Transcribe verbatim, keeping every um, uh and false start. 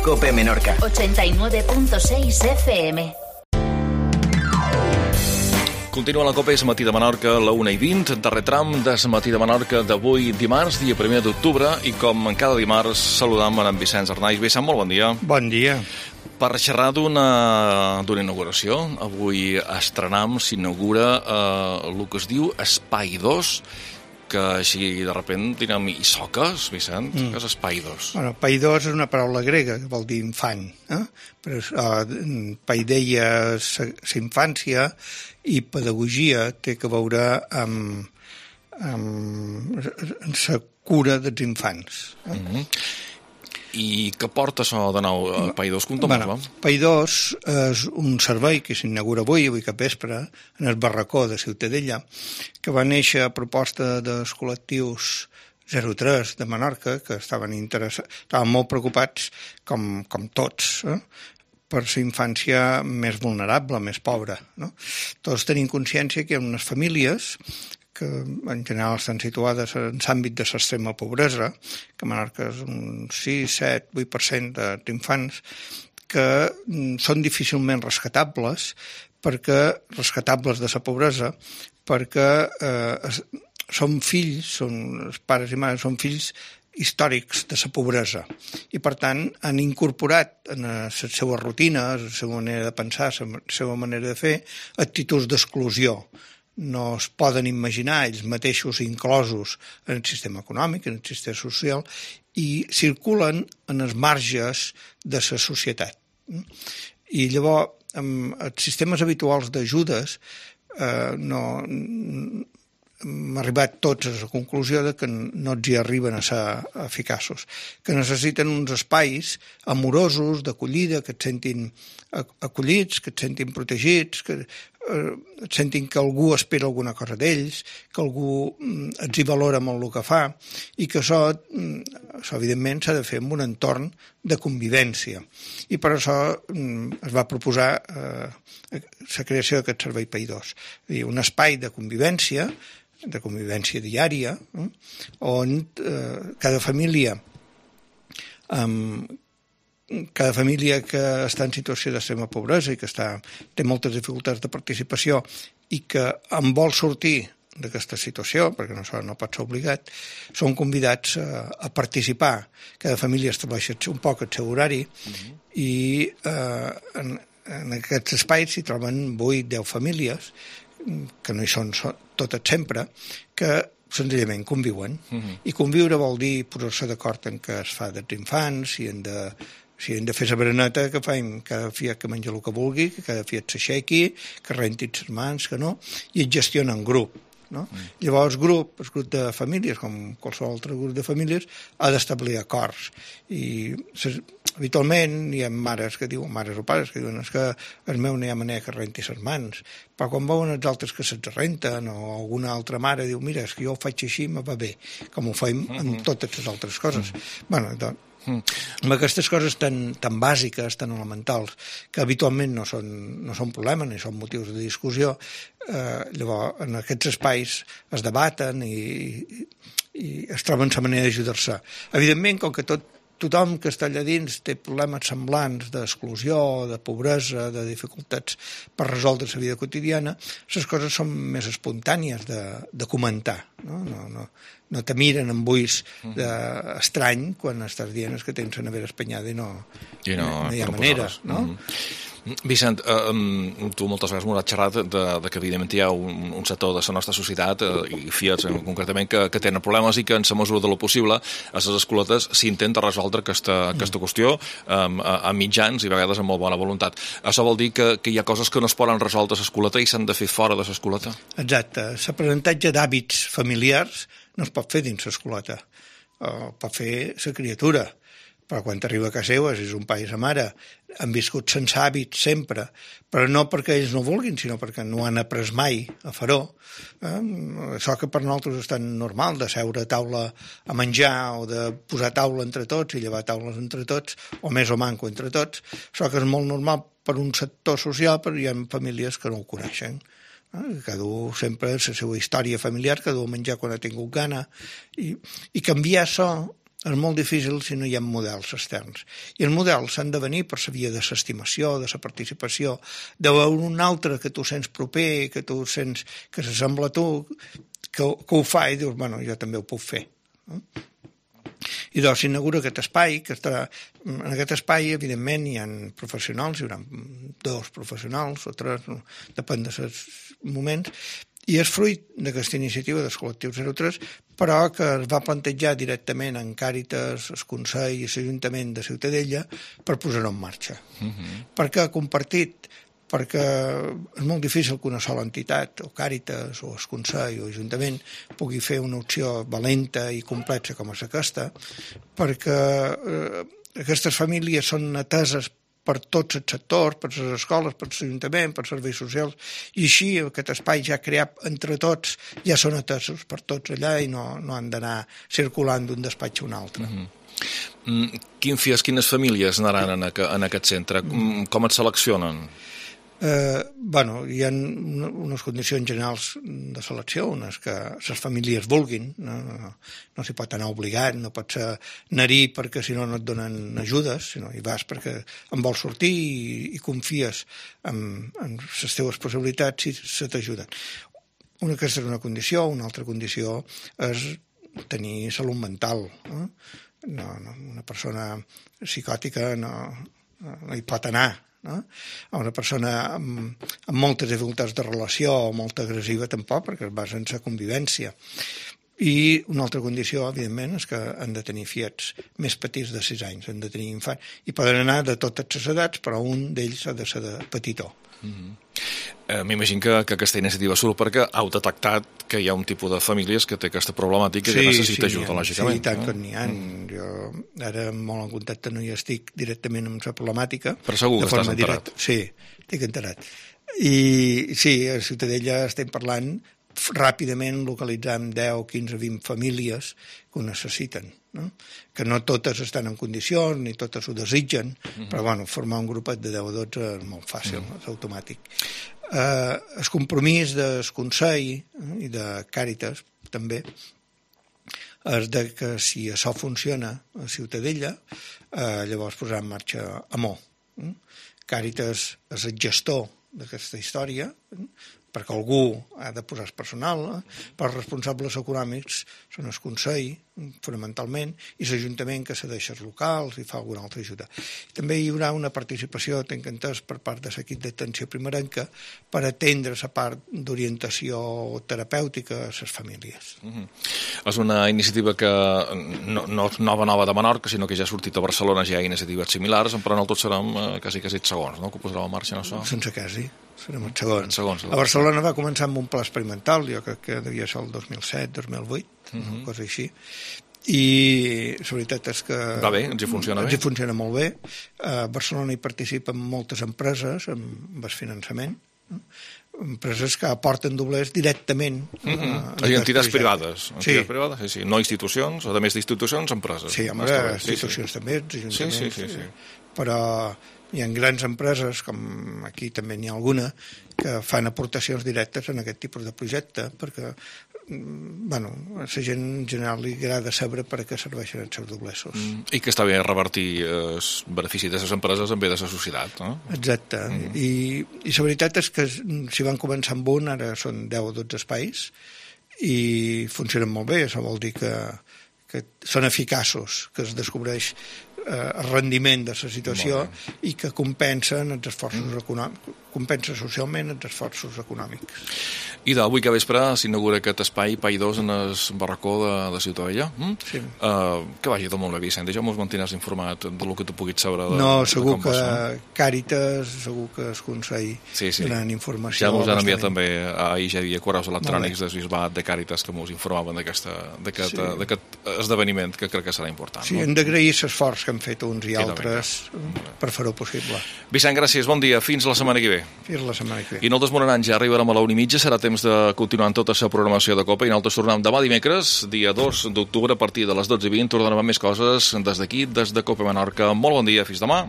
COPE Menorca. ochenta y nueve punto seis F M. Continua la COPE, és Matí de Menorca, la una i vint, darrer tram de Matí de Menorca d'avui dimarts, dia primer d'octubre, i com cada dimarts saludam en Vicenç Arnaiz. Vicent, molt bon dia. Bon dia. Per xerrar d'una d'una inauguració, avui estrenam, s'inaugura eh, el que es diu Espai dos, que així de repent direm, i soques, Vicent? Mm. Què és Espai dos? Bueno, Paidos és una paraula grega, que vol dir infant. Eh? Però uh, paideia és la infància i pedagogia té a veure amb, amb la cura dels infants. Eh? Mm-hmm. I què porta això de nou a Paidos? Conta'm-ho. Bueno, Paidos és un servei que s'inaugura avui, avui cap vespre, en el barracó de Ciutadella, que va néixer a proposta dels col·lectius zero tres de Menorca, que estaven interessats, estaven molt preocupats, com, com tots, eh? per la infància més vulnerable, més pobra. No? Tots tenim consciència que hi ha unes famílies que en general estan situades en l'àmbit de l'extrema pobresa, que a Menorca és un sis, set, vuit per cent d'infants, que són difícilment rescatables, perquè rescatables de la pobresa, perquè eh, són fills, són, els pares i mares són fills històrics de la pobresa, i per tant han incorporat en les seves rutines, la seva manera de pensar, la seva manera de fer, actituds d'exclusió. No es poden imaginar ells mateixos inclosos en el sistema econòmic, en el sistema social, i circulen en els marges de la societat. I llavors, amb els sistemes habituals d'ajudes, eh, no, hem arribat tots a la conclusió de que no els hi arriben a ser eficaços, que necessiten uns espais amorosos, d'acollida, que et sentin acollits, que et sentin protegits, que et sentin que algú espera alguna cosa d'ells, que algú els hi valora molt el que fa, i que això, això evidentment s'ha de fer en un entorn de convivència. I per això es va proposar eh, la creació d'aquest servei Paidos, un espai de convivència, de convivència diària, eh, on eh, cada família amb cada família que està en situació d'extrema pobresa i que està, té moltes dificultats de participació i que en vol sortir d'aquesta situació, perquè no, no pot ser obligat, són convidats a, a participar. Cada família estableix un poc el seu horari uh-huh. i eh, en, en aquests espais s'hi troben vuit deu famílies, que no hi són totes sempre, que senzillament conviuen. Uh-huh. I conviure vol dir posar-se d'acord en què es fa dels infants, si han de Si hem de fer la bereneta, que faim cada fiat que menja el que vulgui, que cada fiat s'aixequi, que rentin les mans, que no, i es gestiona en grup. No? Mm. Llavors el grup, el grup de famílies, com qualsevol altre grup de famílies, ha d'establir acords. I ses, habitualment hi ha mares que diuen, mares o pares que diuen és que el meu no hi ha manera que renti les mans, però quan veuen els altres que se'ls renten, o alguna altra mare diu, mira, és que jo ho faig així, me va bé, com ho fem mm-hmm. amb totes les altres coses. Mm-hmm. Bueno, doncs, Mm. amb aquestes coses tan, tan bàsiques, tan elementals, que habitualment no són, no són problemes ni són motius de discussió, eh, llavors en aquests espais es debaten i, i, i es troben la manera d'ajudar-se. Evidentment, com que tot, tothom que està allà dins té problemes semblants d'exclusió, de pobresa, de dificultats per resoldre la vida quotidiana, les coses són més espontànies de, de comentar, no? No, no, no te miren amb ulls estrany quan estàs dient que tens la nevera espanyada i no, I no, no hi ha manera, no? Mm-hmm. Vicent, eh, tu moltes vegades m'ho has xerrat de, de que evidentment hi ha un, un sector de la nostra societat, eh, i fiats concretament, que, que tenen problemes i que en la mesura de lo possible a les escoletes s'intenta resoldre aquesta, aquesta qüestió eh, a, a mitjans i a vegades amb molt bona voluntat. Això vol dir que, que hi ha coses que no es poden resoldre a l'escoleta i s'han de fer fora de l'escoleta? Exacte. L'aprenentatge d'hàbits familiars no es pot fer dins l'escoleta. O pot fer la criatura. Però quan arriba a casa seva, si és un pare i sa mare, han viscut sense hàbits sempre, però no perquè ells no vulguin, sinó perquè no han après mai a fer-ho. Eh? Això que per nosaltres és tan normal, de seure a taula a menjar o de posar taula entre tots i llevar taules entre tots, o més o manco entre tots, això que és molt normal per un sector social, però hi ha famílies que no ho coneixen. Eh? Cada un sempre és la seva història familiar, cada un menjar quan ha tingut gana, i, i canviar això és molt difícil si no hi ha models externs. I els models s'han de venir per la via de l'estimació, de la participació, de veure un altre que tu sents proper, que tu sents que s'assembla a tu, que, que ho fa i dius, bueno, jo també ho puc fer. No? I doncs s'inaugura aquest espai, que està, en aquest espai, evidentment, hi ha professionals, hi haurà dos professionals o tres, no? Depèn dels moments, i és fruit d'aquesta iniciativa dels col·lectius zero tres, però que es va plantejar directament en Càritas, el Consell i l'Ajuntament de Ciutadella per posar-ho en marxa. Uh-huh. Perquè ha compartit, perquè és molt difícil que una sola entitat, o Càritas, o el Consell, o l'Ajuntament, pugui fer una opció valenta i complexa com és aquesta, perquè eh, aquestes famílies són ateses per tots els sectors, per les escoles, per l'Ajuntament, per serveis socials, i així aquest espai ja creat entre tots ja són atesos per tots allà i no, no han d'anar circulant d'un despatx a un altre. Mm-hmm. Mm, quin fies, quines famílies anaran en, a, en aquest centre? Mm. Com et seleccionen? Eh, bueno, hi ha unes condicions generals de selecció, unes que les famílies vulguin, no, no, no s'hi pot anar obligat, no pot ser anar-hi perquè si no no et donen ajudes, sinó hi vas perquè en vols sortir i, i confies en, en les teves possibilitats i se t'ajuden. Una aquesta és una condició, una altra condició és tenir salut mental. No? No, no, una persona psicòtica no, no hi pot anar. No? A una persona amb, amb moltes dificultats de relació o molt agressiva tampoc, perquè es basa en la convivència. I una altra condició, evidentment, és que han de tenir fiets més petits de sis anys, han de tenir infants, i poden anar de totes les edats, però un d'ells ha de ser de petitó. Mm-hmm. eh, M'imagino que, que aquesta iniciativa surt perquè heu detectat que hi ha un tipus de famílies que té aquesta problemàtica i sí, que necessita sí, ajuda, lògicament. Sí, tant eh? que n'hi ha. Mm. Jo ara molt en contacte no hi estic directament amb la problemàtica. Però segur que estàs enterat. Direct. Sí, estic enterat. I sí, a Ciutadella estem parlant ràpidament, localitzant deu, quinze, vint famílies que ho necessiten. No? Que no totes estan en condicions ni totes ho desitgen, uh-huh. però bueno, formar un grupet de deu o dotze és molt fàcil, uh-huh. és automàtic. Eh, el compromís del Consell eh, i de Càritas també és de que si això funciona a Ciutadella, eh, llavors posar en marxa Amor. Eh? Càritas és el gestor d'aquesta història, eh? perquè algú ha de posar personal, eh? però els responsables econòmics són el Consell, fonamentalment, i l'Ajuntament que cedeix els locals i fa alguna altra ajuda. També hi haurà una participació, tenc entès, per part de l'equip d'atenció primerenca per atendre la part d'orientació terapèutica a les famílies. Mm-hmm. És una iniciativa que no, no és nova nova de Menorca, sinó que ja ha sortit a Barcelona, ja hi ha iniciatives similars, però en el tot serem eh, quasi quasi segons, no?, que ho posarà en marxa en això. Sense quasi. Serem els segons. segons a Barcelona va començar amb un pla experimental, jo crec que devia ser el dos mil set, dos mil vuit, uh-huh. una cosa així. I la veritat és que... Va bé, ens hi funciona ens bé. Ens hi funciona molt bé. A Barcelona hi participen moltes empreses amb el finançament, no? Empreses que aporten doblers directament. Mm-hmm. A, a entitats privades. Entitats sí. privades, sí, sí. No institucions, a més d'institucions, empreses. Sí, home, institucions sí, sí. també, ajuntaments. Sí, sí, sí, sí. Però hi ha grans empreses, com aquí també n'hi ha alguna, que fan aportacions directes en aquest tipus de projecte, perquè bueno, a la gent en general li agrada saber per a què serveixen els seus doblesos. Mm, I que està bé revertir el benefici de les empreses en bé de la societat, no? Exacte. Mm. I, I la veritat és que si van començar amb un, ara són deu o dotze espais, i funcionen molt bé. Això vol dir que, que són eficaços, que es descobreix el rendiment de la situació i que compensen els esforços mm. econòmics, compensa socialment els esforços econòmics. I d'avui que vespre s'inaugura aquest espai Pai dos en el barracó de, de Ciutadella. Mm? Sí. Uh, que vagi tot molt bé, Vicent. Ja mos mantindràs informat del que tu puguis saber. De, no, segur de que Càritas, segur que el Consell sí, sí. donen informació. Ja mos han enviat també, ahir ja hi havia correus electrònics del Bisbat de Càritas que mos informaven d'aquest sí. esdeveniment que crec que serà important. Sí, no? Hem d'agrair l'esforç que han fet uns i, I altres per fer-ho possible. Vicent, gràcies, bon dia. Fins la setmana que ve. Fins la setmana que ve. I nosaltres morarans ja arribarem a la una i mitja, serà temps de continuar amb tota la programació de Copa i nosaltres tornem demà dimecres, dia dos d'octubre, a partir de les dotze i vint, tornarem amb més coses des d'aquí, des de Copa Menorca. Molt bon dia, fins demà.